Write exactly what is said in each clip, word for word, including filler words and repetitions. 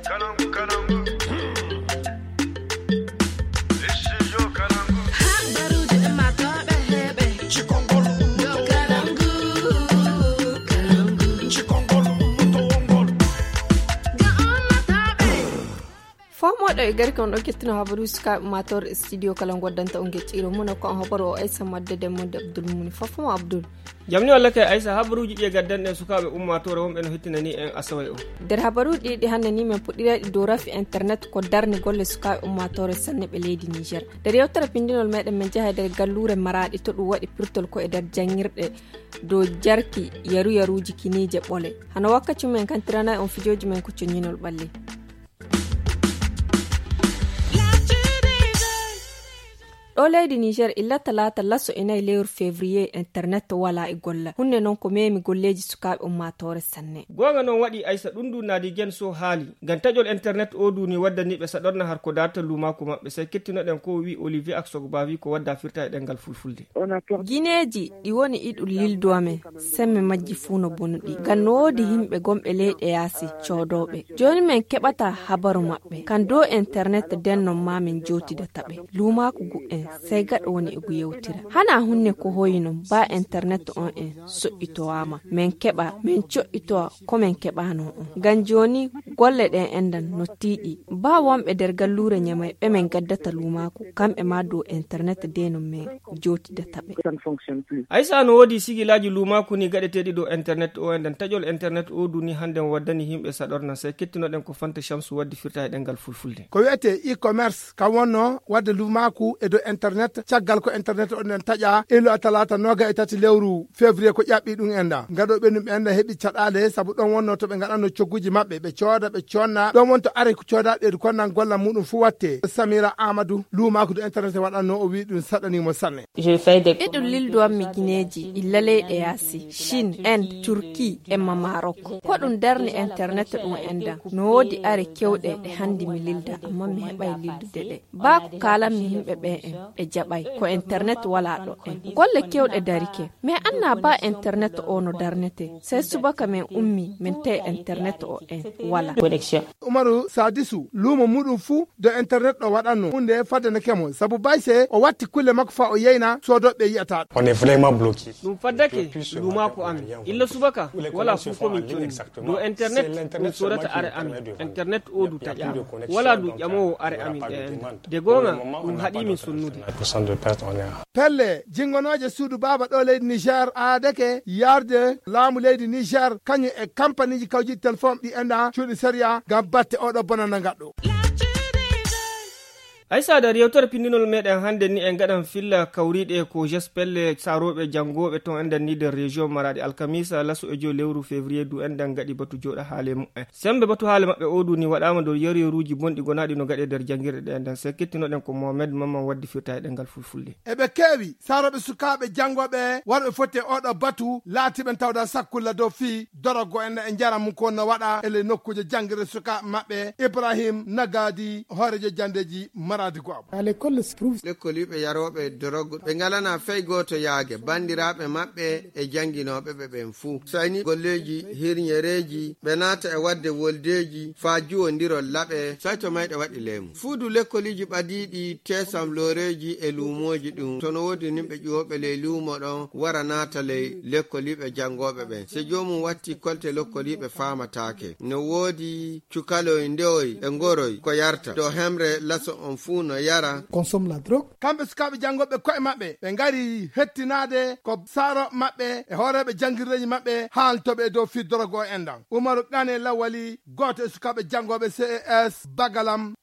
Fo moɗo e garke on ɗo kettuno habaru sukaaɓe ummaatoore studio kala ngon waddanta on gecciro muna ko on habaru o aysa madde de monde abdul muni fofo mo abdul. Jamni walla kay aysa habaruuji ɗi e gaddanɗen sukaaɓe ummaatoore wonɓe no hettinani en asaway o. Nder habaruuji ɗi ɗi hannde ni men puɗɗirayɗi dow rafi internet ko darni golle sukaaɓe ummaatoore sanne ɓe leydi niger. Nder yewtere pindinol meɗen men jeha e nder galluure maraɗi to ɗum waɗi pirtol ko e nder janngirɗe dow jarki yaru yaruuji kiniije ɓole. Hano wakkaci men kantiranay on fijooji men ko coññinol ɓalli. Ɗo leydi niger illa talaata laso e nayi lewru février internet wala e golla hunde noon ko memi golleeji sukaaɓe ummaatoore sanne. Goonga noon waɗi aysa ɗum ndu naadi gen so haali ngam taƴol internet o duni waddaniiɓe saɗorna har ko darta luumaaku maɓɓe sey kettinoɗen ko wi olivier ak sogbavi ko wadda firta e ɗengal fulfulde. Gineeji ɗi woni iɗum lilduwa men semme majji fuu no bonuɗi ngam no woodi yimɓe gonɓe leyɗe yaasi coodooɓe. Jooni men keɓata habaru maɓɓe kan dow internet den non ma min jootidata ɓe. Luumaaku gu'en sey gaɗo woni e gu yewtira hana hunne ko hoyi non ba internet on en soƴƴitowaama men keɓa men coƴƴitowa ko men keɓano on ngam jooni golle ɗen endan no tiiɗi ba wonɓe nder galluure ñamay ɓe men gaddata luumaaku kamɓe ma dow internet de non men jootidata ɓe. Aysa no woodi sigilaaji luumaaku ni gaɗeteeɗi dow internet o endan taƴol internet o duni hannde mo waddani yimɓe saɗorna sey kettinoɗen ko fanta shamsu waddi firta e ɗengal fulfulde. Ko wiyetee e-commerce kam wonno wadde luumaaku e dow internet caggal ko internet o nden taƴa ilo a talaata noga e tati lewru février ko ƴaɓɓi ɗum endan gaɗo ɓe ɗum endan heɓi caɗaale sabu ɗon wonno to ɓe ngaɗanno cogguji maɓɓe ɓe cooda ɓe conna ɗon wonto are ko coodaɓe ɗeedu konnan golla muɗum fuu watte samira amadou luumaaku dow internet waɗanno o wi ɗum saɗanimo sanne. Iɗum lilduwanmi gineeji illa leyɗe yaasi chine inde turquie emma marok ko ɗum darni internet ɗum endan no woodi are kewɗe ɗe hannde mi lilda amma mi heɓay lildude ɗe ba ko kalanmi yimɓe ɓe en ɓe jaɓay ko internet wala ɗo en golle kewɗe darike mais anna ba internet o no darnete sey subaka men ummi min tawi internet o en wala. Umaru sadisu luumo muɗum fuu dow internet ɗo waɗanno hunde fadde no kemo sabu bayse o watti kulle makko fa o yeyna soodooɓe yiyata ɗum. Ɗum faddake luumaaku amin illa subaka wala fuu ko min conni dow internet ɗum soodata are amin. Internet o du taƴaama wala du ƴamoowo are amin ɗe enɗa de goonga ɗum haɗi min sonnude. Pelle jingonooje suudu baaba ɗo leydi niger aadake yarde laamu leydi niger kañum e kampaniji kawjiɗi téléphone ɗi enɗa cuuɗi sériya ngam batte oɗo bonana ngaɗɗo. Aysa nder yewtere pinndinol meɗen hannde ni en ngaɗan filla kawriiɗe ko gespelle saarooɓe janngooɓe toon enɗan ni nder région maraɗi alkamisa laso e joyi lewru février du enɗan ngaɗi batu jooɗa haale mumen. Semmbe batu haale maɓɓe o du ni waɗaama dow yariyoruuji bonɗi gonaaɗi no gaɗe nder janngirɗe ɗe enɗan se kettinoɗen ko mohamed mamman waddi firta e ɗengal fulfulde. Eɓe keewi saroɓe sukaaɓe janngooɓe warɓe foti e oɗo batu laatiɓe tawda sakkulla dow fii dorogo en e njaram mum ko no waɗa e ley nokkuuje janngirde sukaaɓe maɓɓe ibrahim nagadi hoorejo janndeeji maradi go'abu. Lekkoliiɓe yarooɓe dorogo ɓe ngalana fey gooto yaage banndiraaɓe maɓɓe e jannginooɓe ɓe ɓen fuu sayni golleeji hirñereeji ɓe naata e waɗde woldeeji faa juwondirol laɓe. Sayto mayɗe waɗi leemu fuudu lekkoliiji ɓadiiɗi teesam looreeji e luumooji ɗum to no woodi nimɓe ƴuwooɓe ley luumo ɗon wara naata ley lekkoliiɓe janngooɓe ɓen se joomum watti kolte lekkoliiɓe faamataake no woodi cukaloy ndewoy e ngoroy ko yarta to hemre laso on fuu no yara. Consomme la drogue. Kamɓe sukaaɓe janngooɓe koye maɓɓe ɓe ngari hettinaade ko saaro maɓɓe e hooreeɓe janngirdeeji maɓɓe haaltoɓe e dow fii dorogo o enɗan umaru qane lawali gooto e sukaaɓe janngooɓe ces bagalam.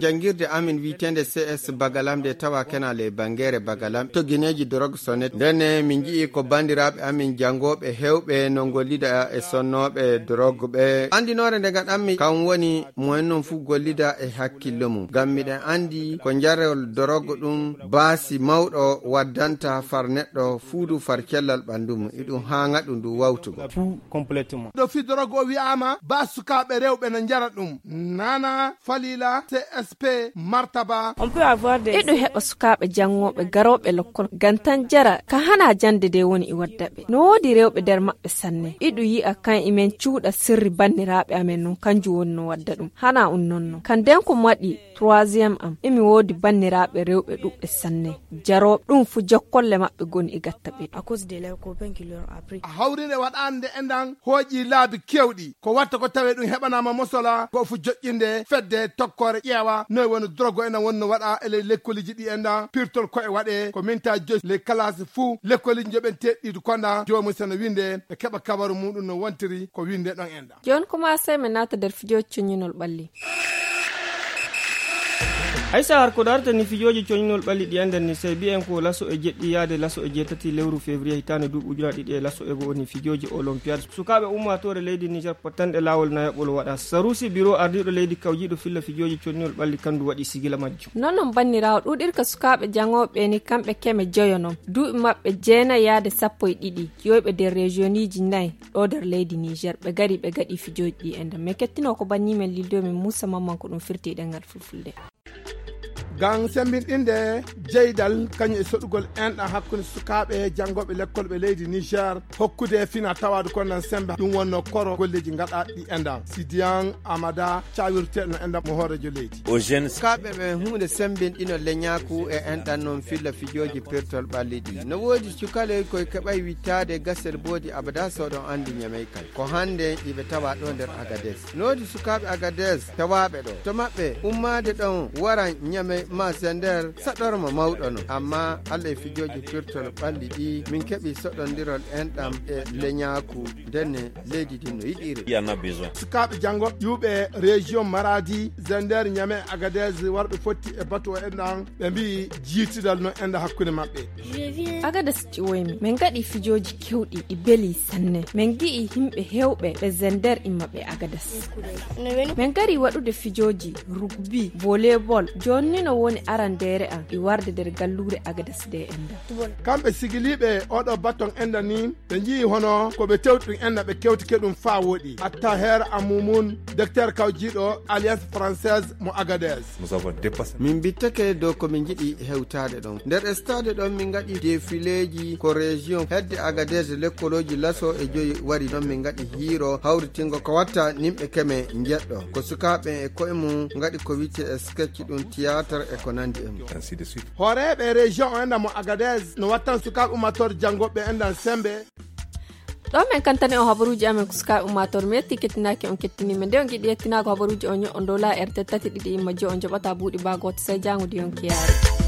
Janngirde amin wiyeteende ces bagalam nde tawa kena ley banngeere bagalam to gineeji dorog sonet ndenne min nji'i ko banndiraaɓe amin janngooɓe heewɓe no ngollida e sonnooɓe dorog ɓe anndinoore nde ngaɗanmi kam woni mo en non fuu gollida e hakkillo mum. Miɗen anndi ko njarol dorogo ɗum baasi mawɗo waddanta far neɗɗo fuudu far cellal ɓanndu mum, iɗum haaŋa ɗum ndu wawtugol. Ɗo fii dorogo o wi'aama ba sukaaɓe rewɓe no njara ɗum. Nana Falila, C S P, Martaba. Eɗum heɓa sukaaɓe janngooɓe garooɓe lokkol ngam tan jara ka hana jannde nde woni e wadda ɓe. No woodi rewɓe nder maɓɓe sanne. Iɗum yi'a kan imen cuuɗa sirri banniraaɓe amen non, kanjum woni no wadda ɗum. Hana un non non. Kan nden ko mo waɗi troisième am, emi woodi banniraaɓe rewɓe ɗuɓɓe sanne. Jarooɓe ɗum fu jokkolle maɓɓe goni e gatta ɓe. A hawrinde waɗaande enɗan hooƴi laabi kewɗi. Ko watta ko tawe ɗum heɓanaama mosola, ko fu joƴƴinde fedde tokkoore ƴeewa noy woni drogo enɗan wonno waɗa e ley lekkoliji ɗi enɗan pirtol ko e waɗe ko minta joy les classes fu lekkoliji joɓen teɗɗiɗi konɗan joomu sene winde ɓe keɓa kabaru muɗum no wontiri ko winde ɗon enɗan. Jooni kuma sey mi naata nder fijooji coññinol ɓalli. Haysa har ko darata ni fijooji coñinol ɓalli ɗi enden ni sey biyen ko laso e jeɗɗi yaade laso e jeetati lewru février hitaande duuɓi ujunaaji ɗiɗi e laso e go'o ni fijooji olympiade sukaaɓe ummaatoore leydi niger pottanɗe laawol nayaɓol waɗa sarusi biro ardiiɗo leydi kawjiiɗo filla fijooji coñinol ɓalli kandu waɗi sigila majjum. Non non banniraawo ɗuuɗirka sukaaɓe jaŋooɓe ni kamɓe keme joyo non duuɓi maɓɓe jeenayi yaade sappo e ɗiɗi yoyɓe nder régioniji nayi ɗo nder leydi niger ɓe gari ɓe gaɗi fijooji ɗi enden min kettino ko bannimen lildo min muusa mamman ko ɗum firti e ɗengal fulfulde. Ngam semmbinɗinde jeydal kañum e soɗugol enɗan hakkunde sukaaɓe janngooɓe lekkol ɓe leydi niger hokkude fina tawaadu konnan semmbe ɗum wonno koro golleeji ngaɗaaɗi enɗan sidiyan amada cawirteeɗo no enɗan mo hooreejo leydi. Sukaaɓe ɓen huunde semmbinɗino leñaaku e enɗan non filla fijooji pirtol ɓalli ɗi no woodi cukaloy koye keɓay wittaade gasel boodi abada soɗon anndi ñamey kay ko hannde iɓe tawa ɗo nder agades. Noodi sukaaɓe agades tawaaɓe ɗo to maɓɓe ummaade ɗon wara ñame ma sender saɗorma mawɗo no amma allah e fijooji pirtol ɓalli ɗi min keɓi soɗondirol enɗam e leñaaku ndenne leydi din no yiɗiri. Sukaaɓe janngo ƴuuɓe région maradi zender ñame agades warɓe fotti e batu o enɗam ɓe mbi'i jiitidal no enɗa hakkunde maɓɓe. Agades ƴiwoymi min gaɗi fijooji kewɗi ɗi beli sanne min gi'i yimɓe hewɓe ɓe zender imma ɓe agades. Min gari waɗude fijooji rugbi volleybol jonni no woni arandeere am e warde nder galluure agades nde enda. Kamɓe sigiliiɓe oɗo baton enda ni ɓe nji'i hono ko ɓe tewti ɗum enda ɓe kewtike ɗum faa woɗi attaher amumum docteur kawjiiɗo alliance française mo agades. Min mbittake dow ko min njiɗi hewtaade ɗon nder stade ɗon min ngaɗi defileeji ko région hedde agades lekkolooji laso e joyi wari ɗon min ngaɗi hiiro hawritingo ko watta nimɓe keme njeɗɗo ko sukaaɓe e koye mum ngaɗi ko witte e sketch ɗum théâtre e ko nandi e mum. Hooreeɓe région o enɗan mo agades no wattan sukaaɓe ummatore janngoɓe enɗan sembe. Ɗo min kantani on habaruuji amen ko sukaaɓe ummatore mi yetti kettinaaki on kettiniima nde on giɗi yettinaago habaruuji on ño'on dow la erte tati ɗiɗi imma jo on joɓata buuɗi baa gooto sey jaango di yonki yaari.